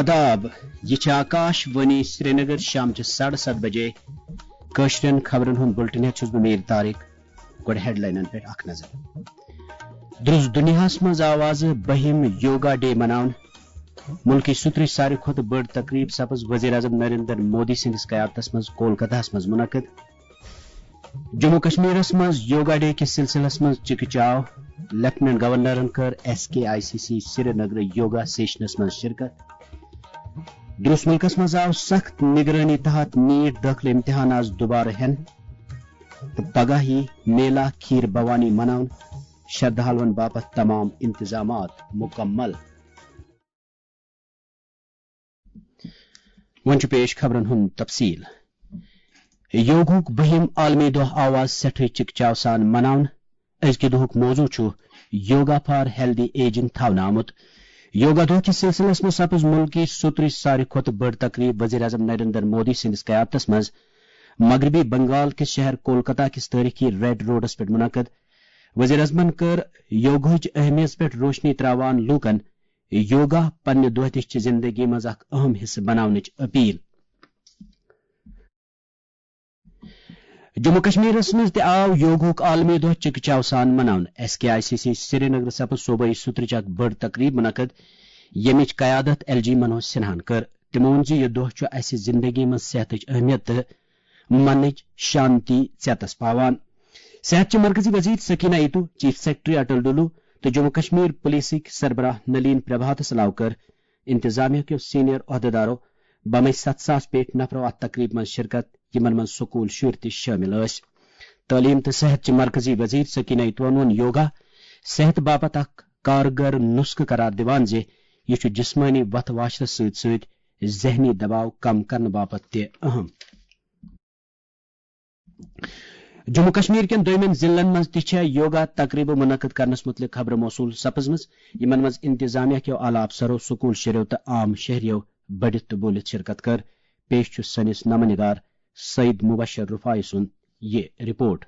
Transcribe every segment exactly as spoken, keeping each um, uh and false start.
آداب، یہِ چھِ آکاش وانی سرینگر۔ شام چہِ ساڑٕ ستھ بجے کٲشرٮ۪ن خبرن ہُنٛد بُلٹن ہٮ۪تھ چھُس بہٕ میٖر طارق۔ گۄڈٕ ہیڈلاینن پٮ۪ٹھ اکھ نظر۔ درٛس دُنیاہس منٛز آو آز بٔہِم یوگا ڈے مناونہٕ۔ مُلکٕچ سُترٕچ ساروی کھۄتہٕ بٔڑ تقریٖب سپٕز وزیر اعظم نریندر مودی سٕنٛدِس قیادتس منٛز کولکتہس منٛز منعقد۔ جموں کشمیرس منٛز یوگا ڈے کِس سلسلس منٛز چکہ چاو۔ لیفٹیننٹ گورنرن کٔر S K I C C Srinagar yoga سیشنس منٛز شرکت۔ درٛس مُلکس منٛز آو سخت نگرٲنی تحت نیٹ دٲخلہٕ امتحان آز دوبارٕ ہٮ۪نہٕ تہٕ پگاہ یی میلا کھیٖر بھوانی مناونہٕ۔ شردھالوَن باپتھ تمام انتظامات مکمل۔ وۄنۍ چھُ پیش خبرن ہُنٛد تفصیل۔ یوگہُک بٔہِم عالمی دۄہ آو آز سٮ۪ٹھٕے چکچاو سان مناونہٕ۔ أزکہِ دۄہُک موضوع چھُ یوگا فار ہیلدی ایجنگ تھاونہٕ آمُت۔ یوگا دۄہ کِس سلسلس منٛز سپٕز مُلکٕچ سُترٕچ ساروی کھۄتہٕ بٔڑ تقریٖب وزیر اعظم نریندر مودی سٕنٛدِس قیادتس منٛز مغربی بنگال کِس شہر کولکتہ کِس تٲریخی ریڈ روڈس پٮ۪ٹھ منعقد۔ وزیر اعظمن کٔر یوگہٕچ اہمیت پٮ۪ٹھ روشنی تراوان لوٗکن یوگا پننہِ دۄہ دِش چہِ زندگی منٛز اکھ اہم حصہٕ بناونٕچ اپیل۔ جموں کشمیرس منٛز تہِ آو یوگہُک عالمی دۄہ چکچاو سان مناونہٕ۔ S K I C C Srinagar سپٕز صوبٲئی سُترٕچ اکھ بٔڑ تقریٖب منعقد، ییٚمِچ قیادت ایل جی منوج سنہاہن کٔر۔ تِمو ووٚن زِ یہِ دۄہ چھُ اسہِ زندگی منٛز صحتٕچ اہمیت تہٕ منٕچ شانتی ژیتس پاوان۔ صحت چہِ مرکزی وزیر سکینہ ایتو، چیف سیکرٹری اٹل ڈولو تہٕ جموں کشمیر پولیسٕکۍ سربراہ نلین پربھاتس علاوٕ کٔر انتظامیہ کیو سینئر عہدیدارو بمے ستھ ساس پیٹھ نفرو اتھ تقریبہِ منٛز شرکت، یِمن منٛز سکول شُرۍ تہِ شٲمِل ٲسۍ۔ تعلیم تہٕ صحت چہِ مرکزی وزیر سکینہ ایتوَن ووٚن یوگا صحت باپتھ اکھ کارگر نسخہٕ قرار دِوان زِ یہِ چھُ جسمٲنی وتھ واچھرس سۭتۍ سۭتۍ ذہنی دباو کم کرنہٕ باپتھ تہِ اہم۔ جموں کشمیر کٮ۪ن دویمٮ۪ن ضلعن منٛز تہِ چھےٚ یوگا تقریبہٕ منعقد کرنس متعلق خبرٕ موصول سپزمٕژ، یِمن منٛز انتظامیہ کیو اعلیٰ افسرو، سکول شُرٮ۪و تہٕ عام شہریو بٔڑِتھ تہٕ بوٗلِتھ شرکت کٔر۔ پیش چھُ سٲنِس نامہ نگار سعید مبشر رفاعی سُنٛد یہِ report.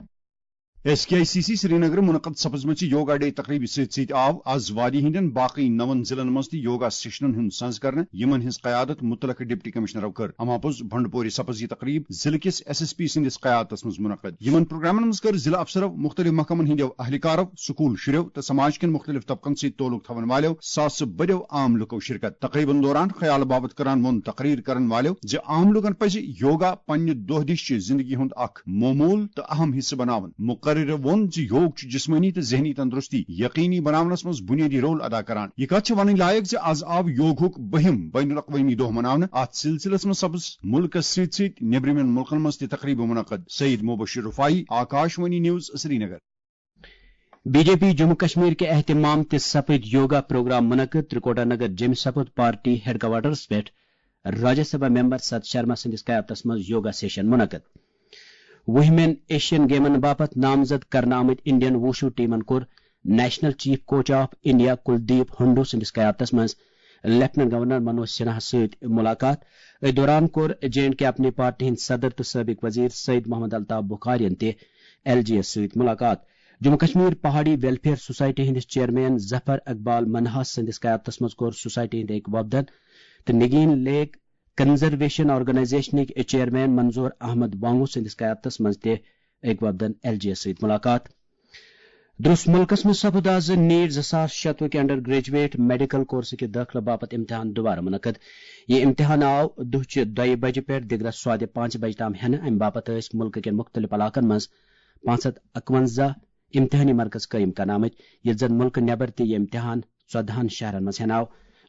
S K I C C Srinagar منعقد سپزمٕژ یوگا ڈے تقریبہِ سۭتۍ سۭتۍ آو از وادی ہٕنٛدٮ۪ن باقٕے نَوَن ضلعن منٛز تہِ یوگا سیشنن ہُنٛد سنز کرنہٕ، یِمن ہٕنٛز قیادت متعلقہٕ ڈپٹی کمشنرو کٔر۔ اما پوٚز بھنڈپوری سپز یہِ تقریب ضلعہٕ کِس ایس ایس پی سٕنٛدِس قیادتس منٛز منعقد۔ یِمن پروگرامن منٛز کٔر ضلعہٕ افسرو، مختلف محکمن ہٕنٛدٮ۪و اہلکارو، سکول شُرٮ۪و تہٕ سماج کٮ۪ن مختلف طبقن سۭتۍ تعلق تھاون والٮ۪و ساسہٕ بٔدٮ۪و عام لُکو شرکت۔ تقریبن دوران خیال باپتھ کران ووٚن تقریر کرن والٮ۪و زِ عام لوٗکن پزِ یوگا پننہِ دۄہ دِش چہِ زندگی ہُنٛد اکھ معموٗل تہٕ اہم حصہٕ بناوُن۔ مقررو ووٚن زِ یوگ چھُ جسمٲنی تہٕ ذہنی تندرستی یقینی بناونس منٛز بنیٲدی رول ادا کران۔ یہِ کتھ چھِ ونٕنۍ لایق زِ از آو یوگہُک بٔہِم بین الاقوٲمی دۄہ مناونہٕ۔ اتھ سلسلس منٛز سپز مُلکس سۭتۍ سۭتۍ نیبرِمٮ۪ن مُلکن منٛز تہِ تقریبہٕ منعقد۔ Syed Mubashir Rifai, Akashvani news, Srinagar. B J P Jammu Kashmir کہِ اہتمام تہِ سپٕدۍ یوگا پروگرام منعقد۔ ترکوٹا نگر جیمہِ سپُد پارٹی ہیڈ کوارٹرس پٮ۪ٹھ راجیہ سبھا ممبر ست شرما سٕنٛدِس قیادتس منٛز یوگا سیشن منعقد۔ وُہمٮ۪ن ایشین گیمن باپتھ نامزد کرنہٕ آمٕتۍ انڈین ووشو ٹیمن کوٚر national chief coach of India Kuldeep Handoo سٕنٛدِس قیادتس منٛز لیفٹیننٹ گورنر منوج سنہاہس سۭتۍ ملاقات۔ أتھۍ دوران کوٚر جے اینڈ کے اپنی پارٹی ہٕنٛدۍ صدر تہٕ سٲبق وزیر سید محمد الطاف بخارین تہِ ایل جی یس سۭتۍ ملاقات۔ جموں کشمیر پہاڑی ویلفیئر سوسائٹی ہٕنٛدِس چیئرمین ظفر اقبال منہاس سٕنٛدِس قیادتس منٛز کوٚر سوسائٹی ہٕنٛدۍ أکۍ وفدن تہٕ نگین لیک کنزرویشن آرگنائزیشنٕکۍ چیئرمین منظور احمد وانگو سٕنٛدِس قیادتس منٛز تہِ أکۍ وفدن ایل جی یس سۭتۍ ملاقات۔ درٛس مُلکس منٛز سپُد آز نیٹ زٕ ساس شتوُہ کہِ انڈر گریجویٹ میڈیکل کورسہٕ کہِ دٲخلہٕ باپتھ امتحان دوبارٕ منعقد۔ یہِ امتحان آو دُہچہِ دۄیہِ بجہِ پٮ۪ٹھ دِگرس سوادِ پانٛژِ بجہِ تام ہٮ۪نہٕ۔ امہِ باپتھ ٲسۍ مُلکہٕ کٮ۪ن مُختٔلِف علاقن منٛز پانٛژھ ہتھ اکونزہ امتحٲنی مرکز قٲیِم کرنہٕ آمٕتۍ، ییٚتہِ زن مُلکہٕ نٮ۪بر تہِ یہِ امتحان ژۄدہن شہرن منٛز ہٮ۪نہٕ آو۔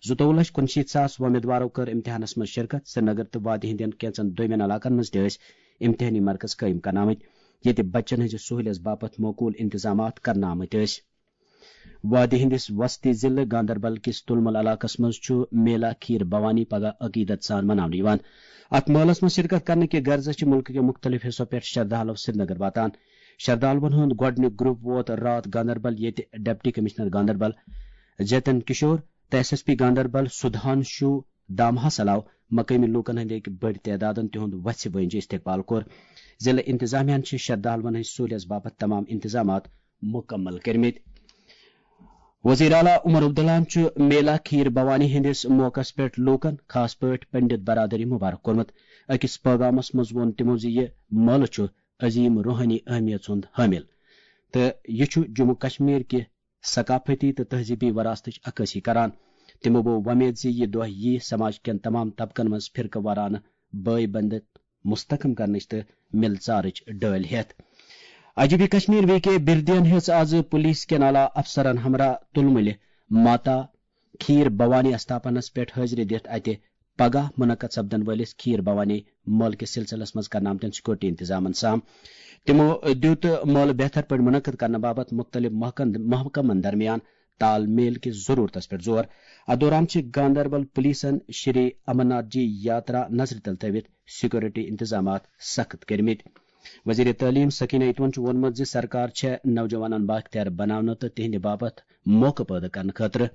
زٕتووُہ لچھ کُنشیٖتھ ساس وۄمیدوارو کٔر امتحانس منٛز شرکت۔ سرینگر تہٕ وادی ہٕنٛدٮ۪ن کینٛژن دویمٮ۪ن علاقن منٛز تہِ ٲسۍ امتحٲنی مرکز قٲیِم کرنہٕ آمٕتۍ، ییٚتہِ بچن ہٕنٛزِ سہوٗلیژ باپتھ معقوٗل انتظامات کرنہٕ آمٕتۍ ٲسۍ۔ وادی ہٕنٛدِس وسطی ضلعہٕ گاندربل کِس تُلمُل علاقس منٛز چھُ میلا کھیٖر بھوانی پگاہ عقیدت سان مناونہٕ یِوان۔ اتھ مٲلس منٛز شرکت کرنہٕ کہِ غرضہٕ چھِ مُلکہٕ کٮ۪و مُختٔلِف حصو پٮ۪ٹھ شردھالو سرینگر واتان۔ شردھالوَن ہُنٛد گۄڈٕنیُک گروپ ووت راتھ گاندربل، ییٚتہِ ڈپٹی کمشنر گاندربل جتن کشور تہٕ S S P Ganderbal Sudhanshu دامہس علاوٕ مقٲمی لوٗکن ہٕنٛدِ أکۍ بٔڑۍ تعدادن تِہُنٛد وژھِ وٲنٛجہِ استقبال کوٚر۔ ضلعہٕ انتظامیہ ہَن چھِ شردھالوَن ہٕنٛز سہوٗلیژ باپتھ تمام انتظامات مُکمل کٔرمٕتۍ۔ وزیر اعلیٰ عمر عبداللہَن چھُ میلا کھیٖر بھوانی ہٕنٛدِس موقعس پٮ۪ٹھ لوٗکَن، خاص پٲٹھۍ پنڈت برادری، مبارک کوٚرمُت۔ أکِس پٲغامَس منٛز ووٚن تِمَو زِ یہِ مٲلہٕ چھُ عظیٖم روحٲنی اہمیت ہُنٛد حٲمِل تہٕ یہِ چھُ جموں کشمیر کہِ ثقافتی تہٕ تہذیٖبی وراثتٕچ عکٲسی کران۔ تِمَو بوو وۄمید زِ یہِ دۄہ یِیہِ سماج کٮ۪ن تمام طبقن منٛز فرقہٕ وارانہٕ بٲے بندت مستحکم کرنٕچ تہٕ مِلژارٕچ ڈٲلۍ ہٮ۪تھ۔ I G P Kashmir V K بردین ہیٚژ آز پولیس کٮ۪ن اعلیٰ افسرن ہمراہ تُلمُلہِ ماتا کھیٖر بھوانی استھاپنس پٮ۪ٹھ حٲضری دِتھ اتہِ پگاہ منعقد سپدن وٲلِس کھیٖر بھوانی مٲلہٕ کِس سلسلس منٛز کرنہٕ آمتٮ۪ن سیکورٹی انتظامن سام۔ تِمو دیُت مٲلہٕ بہتر پٲٹھۍ منعقد کرنہٕ باپتھ مُختٔلِف محکن-، محکمن درمیان تال میل کِس ضروٗرتس پٮ۪ٹھ زور۔ اتھ دوران چھِ گاندربل پولیسن شری امرناتھ جی یاترا نظرِ تل تھٲوِتھ سیکورٹی انتظامات سخت کٔرمٕتۍ۔ وزیر تعلیم سکینہ اتون چھُ ووٚنمُت زِ سرکار چھےٚ نوجوانن بااختیار بناونہٕ تہٕ تِہنٛدِ باپتھ موقعہٕ پٲدٕ کرنہٕ خٲطرٕ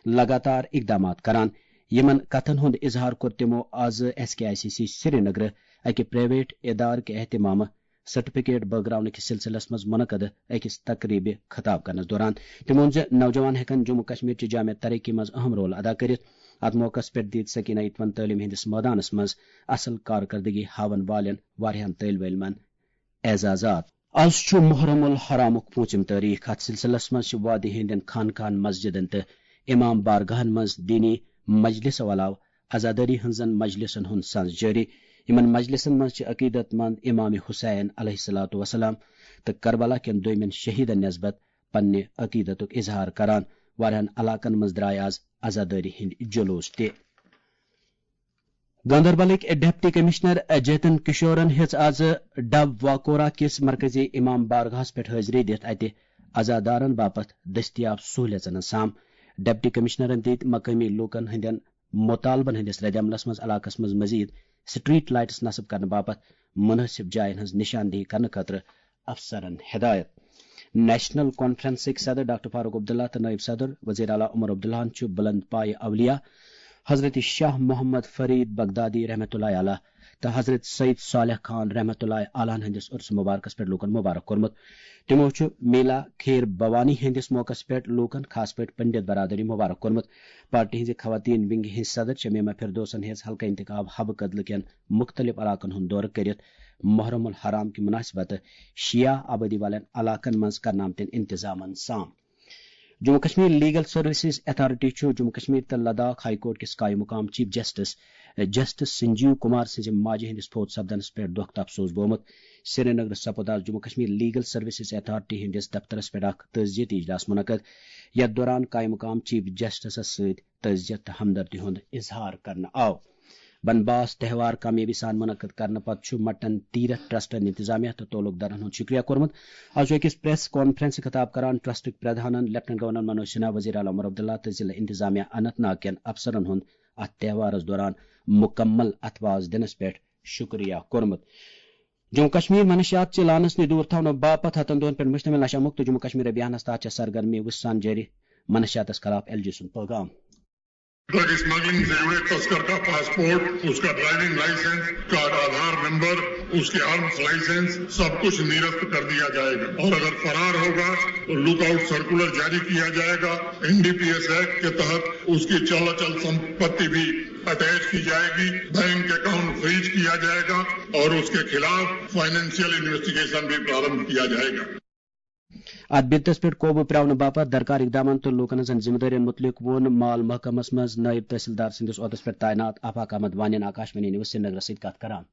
لگاتار اقدامات کران۔ یِمن کتھن ہُنٛد اظہار کوٚر تِمو آز S K I C C سرینگرٕ اکہِ پرائیویٹ ادارٕ کہِ اہتمامہٕ سرٹیفکیٹ بٲگراونہٕ کِس سلسلس منٛز منعقد أکِس تقریبہِ خطاب کرنس دوران۔ تٔمۍ ووٚن زِ نوجوان ہٮ۪کن جموں کشمیر چہِ جامع ترقی منٛز اہم رول ادا کٔرِتھ۔ اتھ موقعس پٮ۪ٹھ دِتۍ سکینہ اتون تعلیٖم ہٕنٛدِس مٲدانس منٛز اصل کارکردگی ہاون والٮ۪ن واریاہن طٲلبہِ علمن اعزازات۔ از چھُ محرم الحرامُک پوٗنٛژِم تٲریخ۔ اتھ سلسلس منٛز چھِ وادی ہٕنٛدٮ۪ن خانقاہن، مسجدن تہٕ امام بارگاہن منٛز دینی مجلسو علاوٕ عزاداری ہٕنٛزن مجلسن ہُنٛد سنز جٲری۔ یِمن مجلسن منٛز چھِ عقیدت مند امام حسین علیہ الصلوۃ والسلام تہٕ کربلا کٮ۪ن دویمٮ۪ن شہیدن نسبت پننہِ عقیدتُک اظہار کران۔ واریاہن علاقن منٛز درٛاے از عزادٲری ہٕنٛدۍ جلوس تہِ۔ گاندربلٕکۍ ڈپٹی کمشنر جیتن کشورن ہیٚژ از ڈب واکورا کِس مرکزی امام بارگاہس پٮ۪ٹھ حٲضری دِتھ اتہِ عزادارن باپتھ دٔستیاب سہولیژن ہٕنٛز سام۔ ڈپٹی کمشنرن دِتۍ مقٲمی لوٗکن ہٕنٛدٮ۪ن مطالبن ہٕنٛدِس ردعملس منٛز علاقس منٛز مزید سٹریٹ لائٹس نصب کرنہٕ باپتھ مناسب جاین ہٕنٛز نشاندہی کرنہٕ خٲطرٕ افسرن ہدایت۔ نیشنل کانفرنسٕکۍ صدر ڈاکٹر فاروق عبداللہ تہٕ نائب صدر وزیر اعلیٰ عمر عبداللہَن چھُ بلند پایہِ اولیاء حضرت شاہ محمد فرید بغدادی رحمۃ اللہ علیہ تہٕ حضرت سید صالح خان رحمۃ اللہ علیہ ہٕنٛدِس عرس مبارکس پٮ۪ٹھ لوٗکن مبارک کوٚرمُت۔ تِمو چھُ میلا کھیر بھوانی ہٕنٛدِس موقعس پٮ۪ٹھ لوٗکن، خاص پٲٹھۍ پنڈت برادری، مبارک کوٚرمُت۔ پارٹی ہٕنٛزِ خواتین ونگہِ ہٕنٛزِ صدر شمیمہ فردوسن ہیٚژ حلقہٕ انتخاب حبہٕ کدلہٕ کٮ۪ن مُختٔلِف علاقن ہُنٛد دورٕ کٔرِتھ محرم الحرام کہِ مناسبت شیعہ آبادی والٮ۪ن علاقن منٛز کرنہٕ آمتٮ۪ن انتظامن سام۔ Jammu Kashmir legal services authority چھُ جموں کشمیر تہٕ لداخ ہائی کورٹ کِس قائم مقام chief justice justice Sanjeev Kumar سٕنٛزِ ماجہِ ہٕنٛدِس فوت سپدنس پٮ۪ٹھ دۄکھ تہٕ افسوس بومُت۔ سرینگرس سپُد آز Jammu Kashmir legal services authority ہٕنٛدِس دفترس پٮ۪ٹھ اکھ تعزیتی اجلاس منعقد، یتھ دوران قائم مقام چیف جسٹسس سۭتۍ تعزیت تہٕ ہمدردی ہُنٛد اظہار کرنہٕ آو۔ بنباس تہوار کامیٲبی سان منعقد کرنہٕ پتہٕ چھُ مٹن تیرتھ ٹرسٹن انتظامیہ تہٕ تعلق دارن ہُنٛد شکریہ کوٚرمُت۔ از چھُ أکِس پریس کانفرنس خطاب کران ٹرسٹٕکۍ پردھانن لیفٹیننٹ گورنر منوج سنہا، وزیر اعلیٰ عمر عبداللہ تہٕ ضلع انتظامیہ اننت ناگ کٮ۪ن افسرن ہُنٛد اتھ تہوارس دوران مکمل اتھواز دِنس پٮ۪ٹھ شکریہ کوٚرمُت۔ جموں کشمیر منشیات چہِ لعنس نِش دوٗر تھاونہٕ باپتھ ہتن دۄہن پٮ۪ٹھ مشتمل نشہ مکت جموں کشمیر ابھیانس تحت چھےٚ سرگرمی وُژھ سان جٲری۔ منشیاتس خلاف ایل جی سُنٛد پیغام۔ ڈرگ اسمگلنگ سے جڑے تسکر کا پاسپورٹ، اس کا ڈرائیونگ لائسنس، اس کا آدھار نمبر، اس کے آرمز لائسنس، سب کچھ نرست کر دیا جائے گا اور اگر فرار ہوگا تو لک آؤٹ سرکولر جاری کیا جائے گا۔ N D P S act کے تحت اس کی چل اچل سمپتی بھی اٹیچ کی جائے گی، بینک اکاؤنٹ فریز کیا جائے گا اور اس کے خلاف فائنینشیل انویسٹیگیشن بھی پرارمبھ کیا جائے گا۔ اتھ بِدتس پٮ۪ٹھ قوبوٗ پرٛاونہٕ باپتھ درکار اقدامن تہٕ لوٗکن ہٕنٛزن ذمہٕ دٲرین مُتعلق ووٚن مال محکمس منٛز نٲیِب تحصیلدار سٕنٛدِس عہدس پٮ۪ٹھ تعینات آفاق احمد وانین آکاشوانی نیوز سرینگرس سۭتۍ کتھ کران۔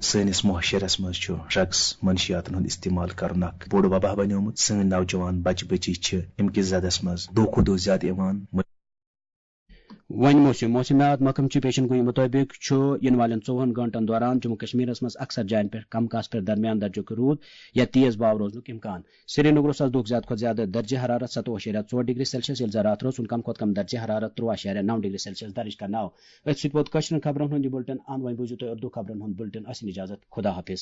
سٲنِس معاشرس منٛز چھُ ڈرگس، منشیاتن ہُنٛد استعمال کرُن اکھ بوٚڑ وبا بنیومُت۔ سٲنۍ نوجوان بچہٕ بچی چھِ امہِ کِس زدس منٛز دۄہ کھۄتہٕ دۄہ زیادٕ یِوان۔ وۄنۍ موسم۔ موسمیات محکمہٕ چہِ پیشن گویی مُطٲبِق چھُ یِنہٕ والٮ۪ن ژوٚوُہن گٲنٛٹن دوران جموں کشمیرس منٛز اکثر جاین پٮ۪ٹھ کم کاسہٕ پٮ۪ٹھ درمیان درجُک روٗد یا تیز واو روزنُک امکان۔ سرینگرس آز دۄہُک زیادٕ کھۄتہٕ زیادٕ درجہ حرارت ستووُہ اَشاریہ ژور ڈگری سیلسیس، ییٚلہِ زن راتھ رٲژ ہُنٛد کم کھۄتہٕ کم درجہ حرارت ترٛوٚوُہ اَشاریہ نَو ڈگری سیلسیس درج کرنہٕ آو۔ أتھۍ سۭتۍ ووت کٲشرٮ۪ن خبرن ہُنٛد یہِ بُلٹن اند۔ وۄنۍ بوٗزِو تُہۍ اردو خبرن ہُنٛد بُلٹن۔ ٲسِن اجازت۔ خدا حافظ۔